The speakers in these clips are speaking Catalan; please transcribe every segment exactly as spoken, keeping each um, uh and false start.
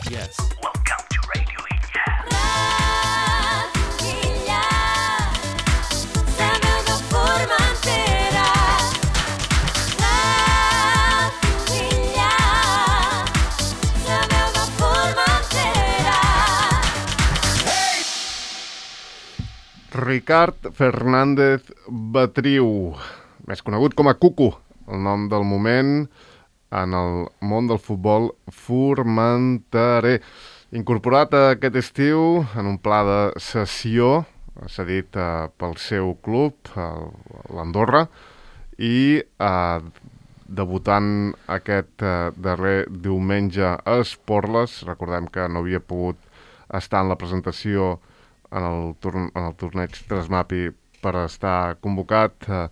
Yes. Welcome to Radio Illa. Radio Illa, la meva Formentera. Radio Illa, la meva Formentera. Ricard Fernández Betriu, més conegut com a Cucu, el nom del moment en el món del futbol formenterer. Incorporat aquest estiu en un pla de cessió, cedit eh, pel seu club, l'Andorra, i eh, debutant aquest eh, darrer diumenge a Esporles. Recordem que no havia pogut estar en la presentació en el, torn en el torneig Trasmapi per estar convocat eh,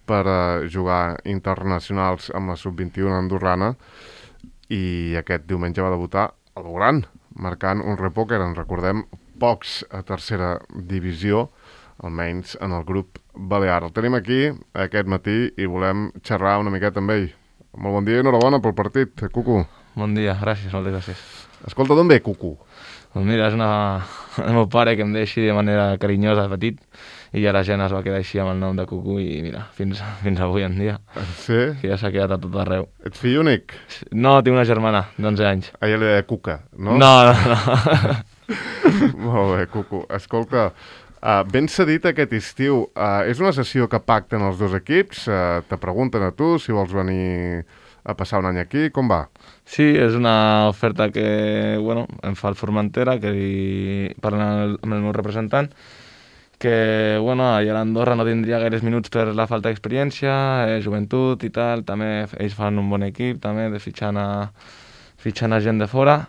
per a jugar internacionals amb la sub vint-i-u andorrana, i aquest diumenge va debutar a lo gran, marcant un repòquer, en recordem, pocs a tercera divisió, almenys en el grup balear. El tenim aquí aquest matí i volem xerrar una miqueta amb ell. Molt bon dia i enhorabona pel partit, Cucu. Bon dia, gràcies, moltes gràcies. Escolta, d'on ve Cucu? Doncs mira, és una... el meu pare que em deia així de manera carinyosa de petit, i ja la gent es va quedar així amb el nom de Cucu i mira, fins, fins avui en dia, Sí? que ja s'ha quedat a tot arreu. Ets fill únic? No, tinc una germana d'onze anys. A ella li deia Cuca, no? No, no, no. Molt bé, Cucu. Escolta, uh, ben cedit aquest estiu. Uh, és una sessió que pacten els dos equips? Uh, te pregunten a tu si vols venir a passar un any aquí. Com va? Sí, és una oferta que, bueno, em fa el Formentera, que hi parla amb el, amb el meu representant, que, bueno, allà a l'Andorra no tindria gaires minuts per la falta d'experiència, eh, joventut i tal, també ells fan un bon equip, també, de fitxant a, fitxant a gent de fora,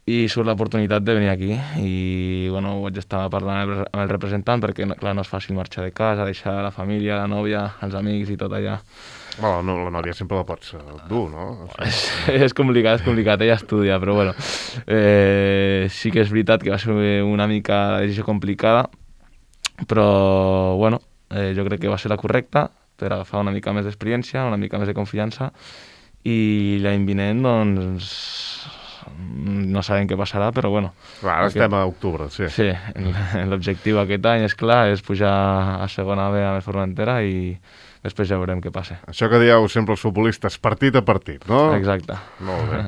i surt l'oportunitat de venir aquí, i, bueno, ho vaig estar parlant amb el, amb el representant, perquè, clar, no és fàcil marxar de casa, deixar la família, la nòvia, els amics i tot allà. Bueno, no, la nòvia sempre la pots uh, dur, no? És, és complicat, és complicat, ella estudia, però bueno, eh, sí que és veritat que va ser una mica la decisió complicada, però bueno, eh, jo crec que va ser la correcta per agafar una mica més d'experiència, una mica més de confiança, i l'any vinent, doncs, no sabem què passarà, però bueno. Clar, ara aquest... estem a octubre, sí. Sí, l'objectiu aquest any, és clar, és pujar a segona B amb el Formentera i després ja veurem què passa. Això que dieu sempre els futbolistes, partit a partit, no? Exacte. Molt bé.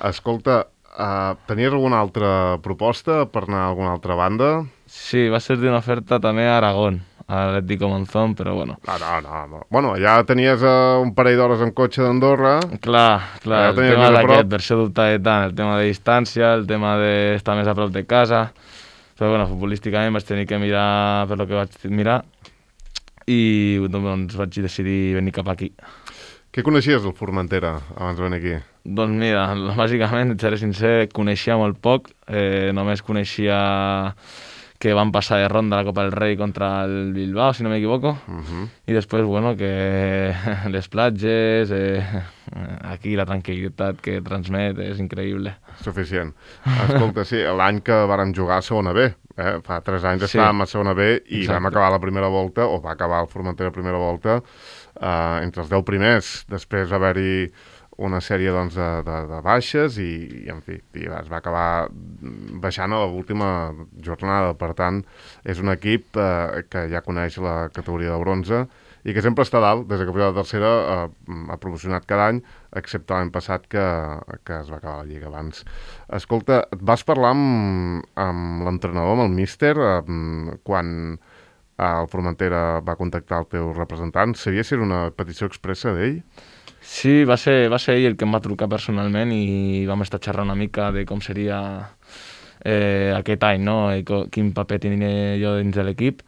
Escolta, uh, tenies alguna altra proposta per anar a alguna altra banda? Sí, va ser d'una oferta també a Aragón, a l'Atlético Monzón, però bueno. No, no, no. no. Bueno, ja tenies uh, un parell d'hores en cotxe d'Andorra. Clar, clar, Ja el tenies tema més a prop. d'aquest, per això dubtava tant, el tema de distància, el tema d'estar més a prop de casa, però bueno, futbolísticament vaig tenir que mirar per lo que vaig mirar i doncs vaig decidir venir cap aquí. Què coneixies del Formentera abans de venir aquí? Doncs mira, bàsicament, et seré sincer, coneixia molt poc, eh, només coneixia que van passar de ronda a la Copa del Rei contra el Bilbao, si no m'equivoco, Uh -huh. i després, bueno, que les platges, eh, aquí la tranquil·litat que transmet és increïble. Suficient. Escolta, sí, l'any que vàrem jugar a segona B, eh? Fa tres anys Sí. estàvem a segona B i Exacte. vam acabar la primera volta, o va acabar el Formentera la primera volta, eh, entre els deu primers. Després va haver-hi una sèrie doncs, de, de, de baixes i, i, en fi, i es va acabar baixant a l'última jornada. Per tant, és un equip eh, que ja coneix la categoria de bronze i que sempre està dalt, des que puja a la tercera, eh, ha promocionat cada any, excepte l'any passat que, que es va acabar la Lliga abans. Escolta, et vas parlar amb, amb l'entrenador, amb el míster, eh, quan el Formentera va contactar el teu representant? Sabia si era una petició expressa d'ell? Sí, va ser, va ser ell el que em va trucar personalment i vam estar xerrant una mica de com seria eh, aquest any, no? I co- quin paper tenia jo dins de l'equip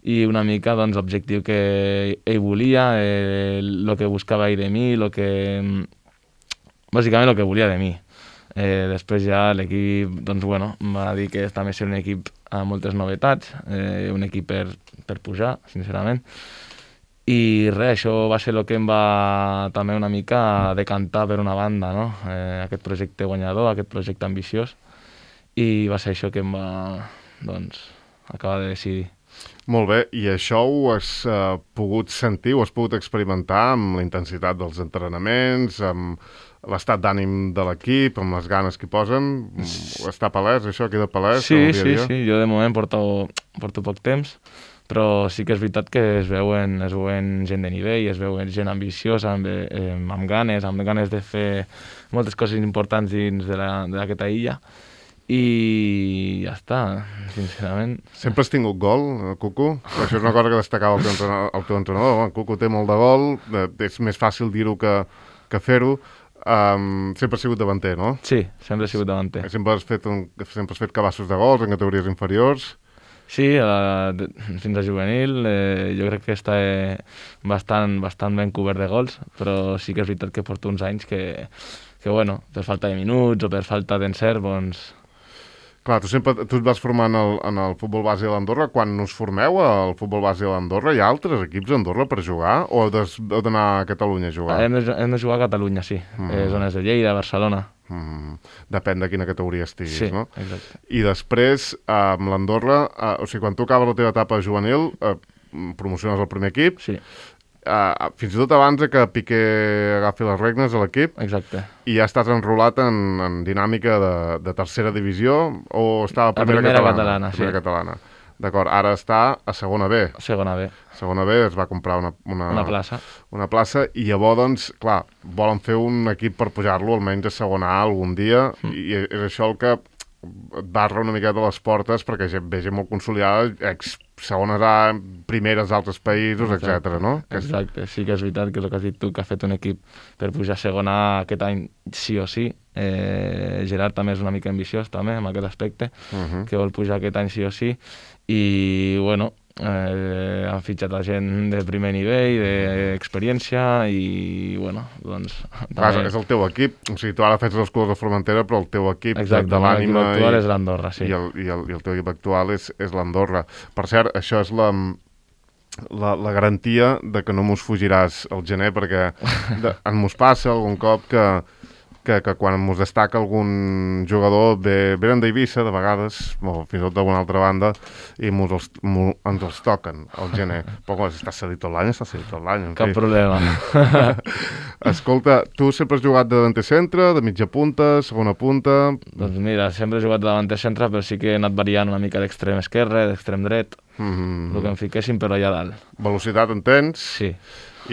i una mica doncs, l'objectiu que ell volia, el eh, que buscava ell de mi, lo que... bàsicament el que volia de mi. Eh, després ja l'equip doncs, bueno, em va dir que també ser un equip amb moltes novetats, eh, un equip per, per pujar, sincerament. I res, això va ser el que em va també una mica decantar per una banda, no? Eh, aquest projecte guanyador, aquest projecte ambiciós, i va ser això que em va, doncs, acabar de decidir. Molt bé, i això ho has uh, pogut sentir, ho has pogut experimentar amb la intensitat dels entrenaments, amb l'estat d'ànim de l'equip, amb les ganes que hi posen, està palès, això queda palès? Sí, en el dia a sí, dia? sí, jo de moment porto, porto poc temps, però sí que és veritat que es veuen, es veuen gent de nivell, es veuen gent ambiciosa, amb, eh, amb ganes, amb ganes de fer moltes coses importants dins de la- d'aquesta illa, i ja està, sincerament. Sempre has tingut gol, eh, Cucu? Això és una cosa que destacava el teu entrenador. El teu entrenador. Home, Cucu té molt de gol, eh, és més fàcil dir-ho que, que fer-ho. Um, sempre has sigut davanter, no? Sí, sempre he sigut davanter. Sempre has fet, un, sempre has fet cabassos de gols en categories inferiors. Sí, a, de, fins a juvenil eh, jo crec que està eh, bastant, bastant ben cobert de gols, però sí que és veritat que porto uns anys que, que bueno, per falta de minuts o per falta d'encert, doncs... Clar, tu sempre tu et vas formar en el, en el futbol base de l'Andorra. Quan us formeu al futbol base de l'Andorra, hi ha altres equips a Andorra per jugar? O heu des- heu d'anar a Catalunya a jugar? Hem de, hem de jugar a Catalunya, sí. Mm. Eh, zones de Lleida, Barcelona. Mm, depèn de quina categoria estiguis, Sí, no? exacte. I després, eh, amb l'Andorra, eh, o sigui, quan tu acabes la teva etapa juvenil, eh, promociones al primer equip, Sí, eh, fins i tot abans de que Piqué agafi les regnes a l'equip, exacte. i ja estàs enrolat en, en dinàmica de, de tercera divisió, o estava a A primera, primera catalana? catalana, primera sí. catalana. D'acord, ara està a segona B. Segona B, Segona B es va comprar una, una, una plaça. una plaça, i llavors, doncs, clar, volen fer un equip per pujar-lo almenys a segona A algun dia, Mm. i és això el que et barra una miqueta les portes perquè gent, ve gent molt consolidada, ex segones A, primeres d'altres països, etcètera, no? Que és- Exacte, sí que és veritat que és el que has dit tu, que ha fet un equip per pujar a segona A aquest any sí o sí. Eh, Gerard també és una mica ambiciós també en aquest aspecte, Mhm. que vol pujar aquest any sí o sí, i bueno, eh, han fitxat a gent de primer nivell, d'experiència, i bueno, doncs... Clar, també- és el teu equip, o sigui, tu ara fes els colors de Formentera, però el teu equip de, Exacte, de el meu equip l'ànima actual i, és l'Andorra, sí. i, el, i, el, i el teu equip actual és, és l'Andorra. Per cert, això és la, la, la garantia de que no mos fugiràs al gener, perquè de, en mos passa algun cop que, que, que quan mos destaca algun jugador ve, venen d'Eivissa, de vegades, o fins i tot d'alguna altra banda, i mos els, mo, ens els toquen al gener. Però quan està cedit tot l'any, està cedit tot l'any. en Cap fi. problema. Escolta, tu sempre has jugat de davanter centre, de mitja punta, segona punta... Doncs mira, sempre he jugat de davanter centre, però sí que he anat variant una mica d'extrem esquerre, d'extrem dret, Mm, el que em fiquéssim, però allà dalt. velocitat en tens Sí,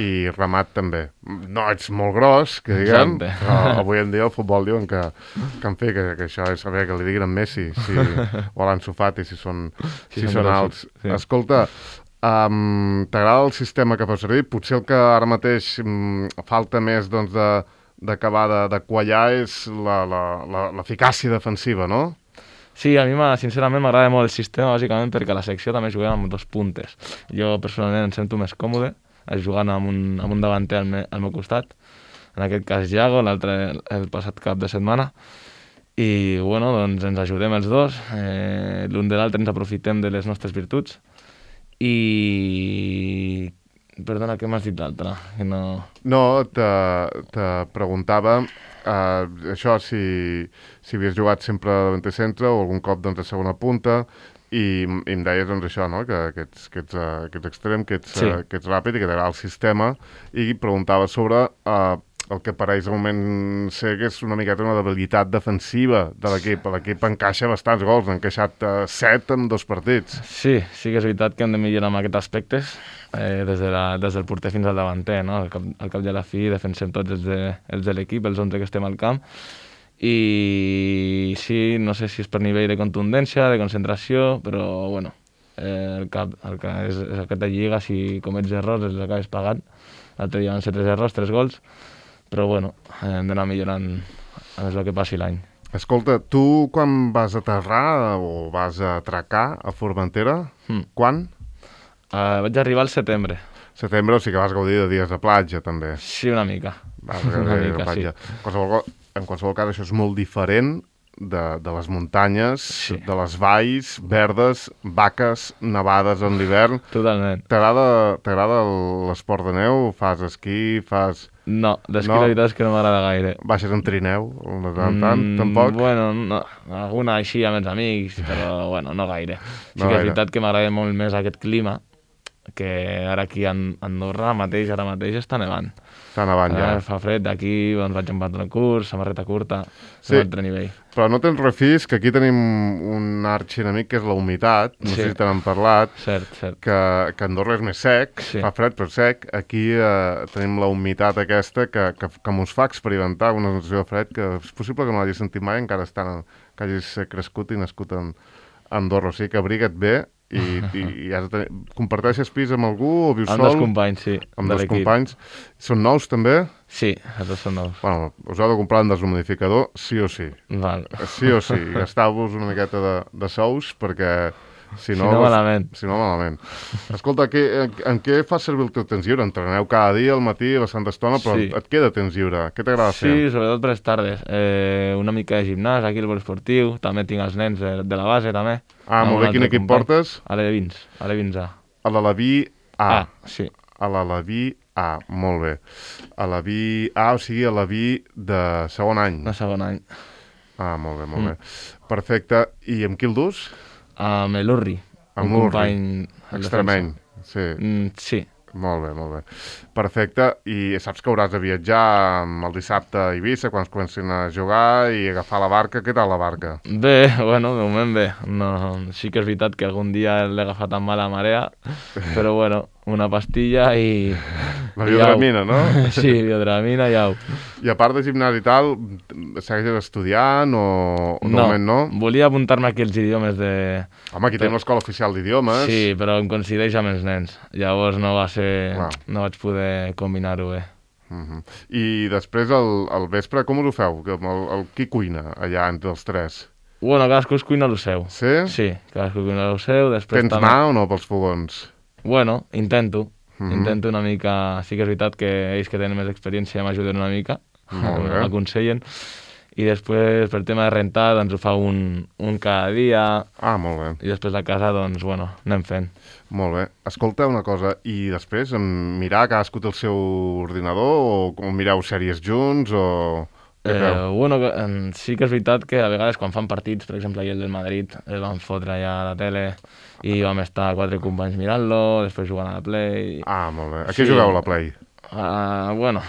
i remat també. No ets molt gros, que diguem, Exacte. però avui en dia el futbol diuen que, que en fi, que, que això és saber que li diguin en Messi si, o a l'Ansu Fati si són, si Si són són grossos, alts. sí. Escolta, um, t'agrada el sistema que fas servir? Potser el que ara mateix um, falta més doncs, de d'acabar de, de quallar és la- la- la- l'eficàcia defensiva, no? Sí, a mi m'ha- sincerament m'agrada molt el sistema, bàsicament perquè a la secció també juguem amb dos puntes. Jo personalment em sento més còmode eh, jugant amb un, amb un davanter al, me, al meu costat, en aquest cas Iago, l'altre el passat cap de setmana, i bueno, doncs ens ajudem els dos, eh, l'un de l'altre ens aprofitem de les nostres virtuts, i... Perdona, què m'has dit l'altre? Que no... No, te, te preguntava uh, això, si, si havies jugat sempre de davanter centre o algun cop doncs, a segona punta, i, i em deies doncs, això, no? que, que, ets, que, ets, uh, que ets extrem, que ets, Sí. uh, que ets ràpid i que t'agrada el sistema, i preguntava sobre uh, el que pareix de moment ser que és una miqueta una debilitat defensiva de l'equip. L'equip encaixa bastants gols, n'ha encaixat uh, set en dos partits. Sí, sí que és veritat que hem de millorar en aquests aspectes, eh, des, de la, des del porter fins al davanter, no? Al cap, al cap i a la fi defensem tots els de, els de l'equip, els onze que estem al camp, i sí, no sé si és per nivell de contundència, de concentració, però bueno, eh, el cap, el que és, és aquesta lliga, si comets errors els acabes pagant. L'altre dia van ser tres errors, tres gols, però bueno, hem d'anar millorant a més el que passi l'any. Escolta, tu quan vas aterrar o vas a atracar a Formentera, Mm. quan? Uh, vaig arribar al setembre, Setembre, o sigui que vas gaudir de dies de platja, també. sí, una mica. Vas Una gaudir de mica, platja. En qualsevol, co- en qualsevol cas, això és molt diferent de, de les muntanyes, Sí. de les valls verdes, vaques nevades en l'hivern. Totalment. T'agrada t'agrada l'esport de neu? Fas esquí? Fas... No, d'esquí No. la veritat és que no m'agrada gaire. Baixes en trineu? De tant en tant? Tampoc? Bueno, no, alguna així amb els amics, però bueno, no gaire. Sí No que és gaire. veritat que m'agrada molt més aquest clima, que ara aquí a Andorra mateix, ara mateix està nevant. Està nevant ja. Eh, fa fred, d'aquí doncs, vaig amb pantaló curt, samarreta curta, Sí. un altre nivell. Però no tens refís, que aquí tenim un arxienemic que és la humitat, no Sí. sé si te n'han parlat, Cert, cert. que, que Andorra és més sec, Sí. fa fred però sec. Aquí eh, tenim la humitat aquesta que, que, que mos fa experimentar una sensació de fred que és possible que no l'hagis sentit mai, encara estant, que hagis crescut i nascut en Andorra. O sigui que abriga't bé i, i, i has de tenir... Comparteixes pis amb algú o vius Amb sol? dos companys, sí, Amb de dos l'equip. companys. Són nous també? Sí, els dos són nous. Bueno, us heu de comprar un deshumidificador sí o sí. Val. Sí o sí, gastau-vos una miqueta de, de sous perquè si no... Si no, malament. Si no, malament. Escolta, que, en, en què fas servir el teu temps lliure? Entreneu cada dia al matí, a la santa estona, però Sí. et queda temps lliure? Què t'agrada Sí, fer? sobretot per les tardes. Eh, una mica de gimnàs, aquí al esportiu, també tinc els nens de, de la base, també. Ah, Amb molt un bé, quin altre equip company. portes? A l'E20, a l'E20 A. A l'Alaví A. Ah, sí. A l'Alaví A, molt bé. A l'Alaví A, o sigui, a l'Alaví de segon any. De segon any. Ah, molt bé, molt Mm. bé. Perfecte. I amb qui el dus? Amb l'Urri, Amb un l'Urri. company... el Extremeny. defensa. Sí. Mm, sí. Molt bé, molt bé. Perfecte. I saps que hauràs de viatjar el dissabte a Eivissa quan es comencin a jugar i agafar la barca. Què tal la barca? Bé, bueno, de moment bé. No, sí que és veritat que algun dia l'he agafat amb mala marea, però bueno, una pastilla i... La i biodramina, au. no? Sí, biodramina i au. I a part de gimnàs i tal, segueixes estudiant o, o de moment no? Volia apuntar-me aquí els idiomes de... Home, aquí tenim l'escola oficial d'idiomes. Sí, però em coincideix amb els nens. Llavors no va ser... Clar. No vaig poder combinar-ho bé. Uh -huh. I després, al, al vespre, com us ho feu? Que El, el, qui cuina allà entre els tres? Bueno, cadascú es cuina el seu. Sí? Sí, cadascú cuina el seu, després Tens també... mà o no pels fogons? Bueno, intento. Mhm. Intento una mica... Sí que és veritat que ells que tenen més experiència m'ajuden una mica, Molt bé. m'aconsellen. I després, per tema de rentar, doncs ho fa un, un cada dia, Ah, molt bé. i després a casa, doncs, bueno, anem fent. Molt bé. Escolta una cosa, i després em mirar cadascú té el seu ordinador o, o mireu sèries junts o... Què Eh, feu? bueno, que, em, sí que és veritat que a vegades quan fan partits, per exemple, ahir el del Madrid, el van fotre allà a la tele i vam estar quatre companys mirant-lo, després jugant a la Play... Ah, molt bé. A què Sí. jugueu a la Play? Uh, bueno,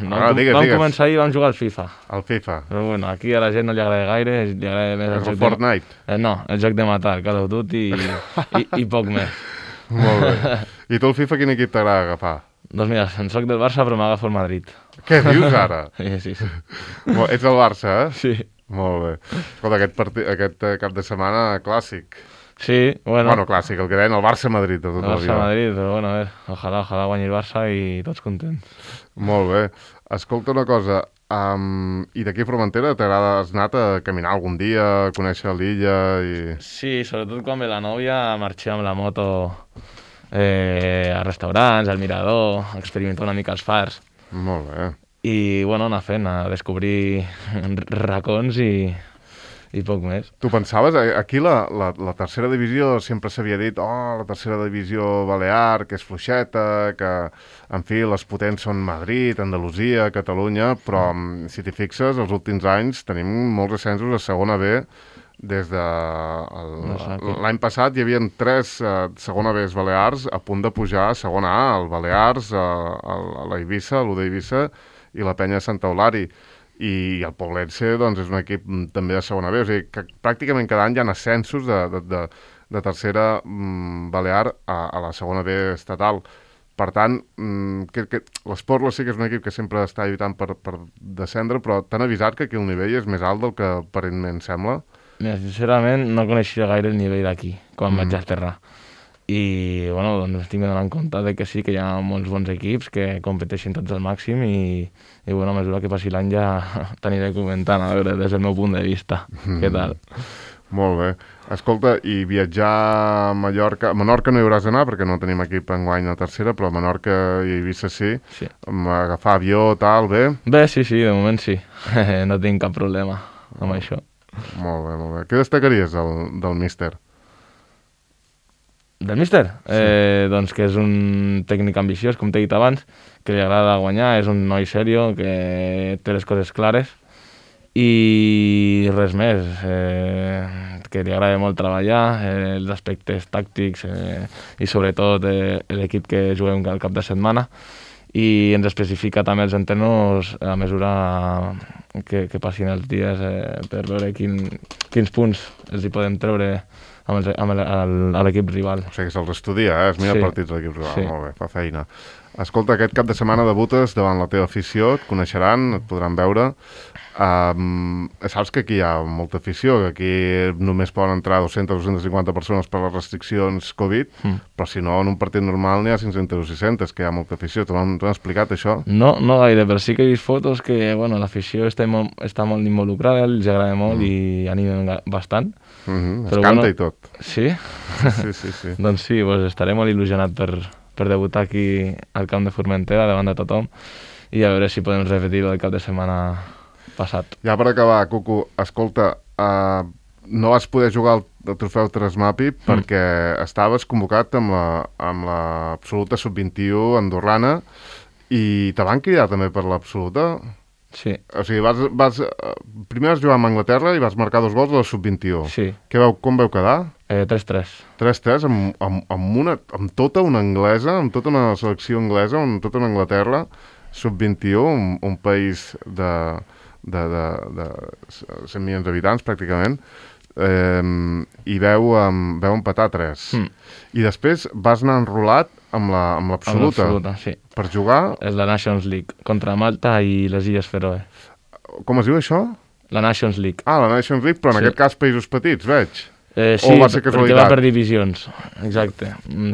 no, Ah, digues, vam digues. començar ahir i vam jugar al FIFA. Al FIFA? Però bueno, aquí a la gent no li agrada gaire, li agrada més el El joc de... Fortnite? Eh, no, el joc de matar, Call of Duty i, i, i poc més. Molt bé. I tu el FIFA quin equip t'agrada agafar? Doncs mira, en soc del Barça però m'agafo el Madrid. Què dius ara? Sí, sí, sí. Molt- Ets del Barça, eh? Sí, Molt bé. Escolta, aquest, partit, aquest eh, cap de setmana clàssic. sí bueno, Bueno, clàssic, el que deien el Barça-Madrid de el tota la vida. Barça-Madrid, però bueno, a veure, ojalà, ojalà guanyi el Barça i tots contents. Molt bé. Escolta una cosa, um, i d'aquí a Formentera t'agrada, has anat a caminar algun dia, a conèixer l'illa i... Sí, sobretot quan ve la nòvia, marxem amb la moto eh, a restaurants, al mirador, a experimentar una mica els fars. Molt bé. I, bueno, anar fent, a descobrir racons i, i poc més. Tu pensaves, eh, aquí la, la, la tercera divisió sempre s'havia dit oh, la tercera divisió balear, que és fluixeta, que, en fi, les potents són Madrid, Andalusia, Catalunya, però mm. si t'hi fixes, els últims anys tenim molts ascensos a segona B des de... el- Exacte. L'any passat hi havia tres eh, segona Bs balears a punt de pujar a segona A, el Balears, a, a, a la Eivissa, l'U d'Eivissa i la Penya de Santa Eulària. I el Poblense doncs, és un equip mm, també de segona B, o sigui que pràcticament cada any hi ha ascensos de, de, de, de tercera mm, balear a, a la segona B estatal. Per tant, mm, que, que, l'Esportla sí que és un equip que sempre està lluitant per, per descendre, però t'han avisat que aquí el nivell és més alt del que aparentment sembla. Mira, sincerament, no coneixia gaire el nivell d'aquí, quan Mm. mm. vaig aterrar. I, bueno, doncs estic donant compte de que sí, que hi ha molts bons equips que competeixen tots al màxim i, i bueno, a mesura que passi l'any ja t'aniré comentant, a veure, des del meu punt de vista, mm. què tal. Molt bé. Escolta, i viatjar a Mallorca... A Menorca no hi hauràs d'anar perquè no tenim equip enguany a tercera, però a Menorca i Eivissa sí. Sí. Amb agafar avió, tal, bé? Bé, sí, sí, de moment sí. No tinc cap problema amb això. Molt bé, molt bé. Què destacaries del, del míster? Del míster? Sí. Eh, doncs que és un tècnic ambiciós, com t'he dit abans, que li agrada guanyar, és un noi serio, que té les coses clares i res més. Eh, que li agrada molt treballar, eh, els aspectes tàctics eh, i sobretot eh, l'equip que juguem al cap de setmana, i ens especifica també els entrenos a mesura que, que passin els dies eh, per veure quin, quins punts els hi podem treure amb, els, amb el, a l'equip rival. O sigui que se'ls estudia, eh? Es mira Sí. partits de l'equip rival, Sí. molt bé, fa feina. Escolta, aquest cap de setmana debutes davant la teva afició, et coneixeran, et podran veure. Um, saps que aquí hi ha molta afició, que aquí només poden entrar dues-centes a dues-centes cinquanta persones per les restriccions Covid, mm. però si no, en un partit normal n'hi ha cinc-centes o sis-centes, que hi ha molta afició. T'ho han, han explicat, això? No, no gaire, però sí que he vist fotos que bueno, l'afició està, molt, està molt involucrada, els agrada molt mm. i animen ga- bastant. Mm-hmm. Es Però canta bueno, i tot. Sí? Sí, sí, sí. Doncs sí, pues estaré molt il·lusionat per, per debutar aquí al camp de Formentera davant de tothom i a veure si podem repetir el cap de setmana passat. Ja per acabar, Cucu, escolta, uh, no vas poder jugar al, al trofeu Tresmapi mm. perquè estaves convocat amb la, amb l'absoluta sub vint-i-u andorrana i te van cridar també per l'absoluta? Sí. O sigui, vas, vas, uh, primer vas jugar amb Anglaterra i vas marcar dos gols a la sub vint-i-u. Sí. Què veu, com veu quedar? Eh, tres tres. tres tres amb, amb, amb, una, amb tota una anglesa, amb tota una selecció anglesa, amb tota una Anglaterra, sub vint-i-u, un, un país de, de, de, de cent milions d'habitants, pràcticament, eh, i veu, um, veu empatar tres. Mm. I després vas anar enrolat amb la, amb l'absoluta. Amb l'absoluta, sí. Per jugar... És la Nations League, contra Malta i les Illes Feroe. Com es diu això? La Nations League. Ah, la Nations League, però en sí. aquest cas països petits, veig. Eh, sí, o va ser perquè casualitat? va per divisions, exacte.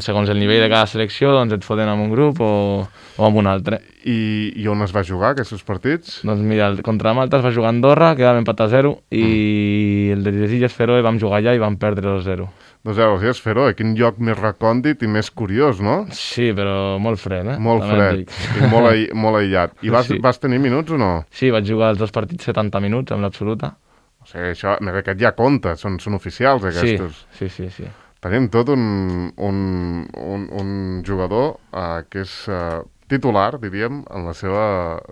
Segons el nivell de cada selecció, doncs et foten amb un grup o, o amb un altre. I, I on es va jugar, aquests partits? Doncs mira, el, contra Malta es va jugar a Andorra, quedàvem empatat a zero, i mm. el de les Illes Feroe vam jugar allà i vam perdre dos zero. dos zero, sí, és Feroe, quin lloc més recòndit i més curiós, no? Sí, però molt fred, eh? Molt També fred, i molt, aï molt aïllat. I vas, Sí. vas tenir minuts o no? Sí, vaig jugar els dos partits setanta minuts amb l'absoluta. O sigui, això, més aquest ja compta, són, són oficials aquests. Sí, sí, sí, sí. Tenim tot un, un, un, un jugador uh, que és uh, titular, diríem, en la seva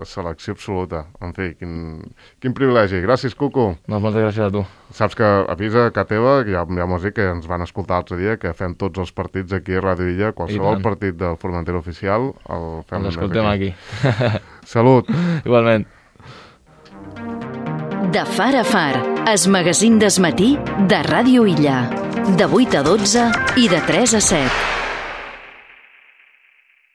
selecció absoluta. En fi, quin, quin privilegi. Gràcies, Cucu. Doncs moltes gràcies a tu. Saps que avisa a casa teva, que ja, ja m'ho has dit, que ens van escoltar l'altre dia, que fem tots els partits aquí a Ràdio Illa, qualsevol partit del Formentera oficial el fem Els escoltem aquí. aquí. Salut. Igualment. De far a far, es magazín d'esmatí de Ràdio Illa. De vuit a dotze i de tres a set.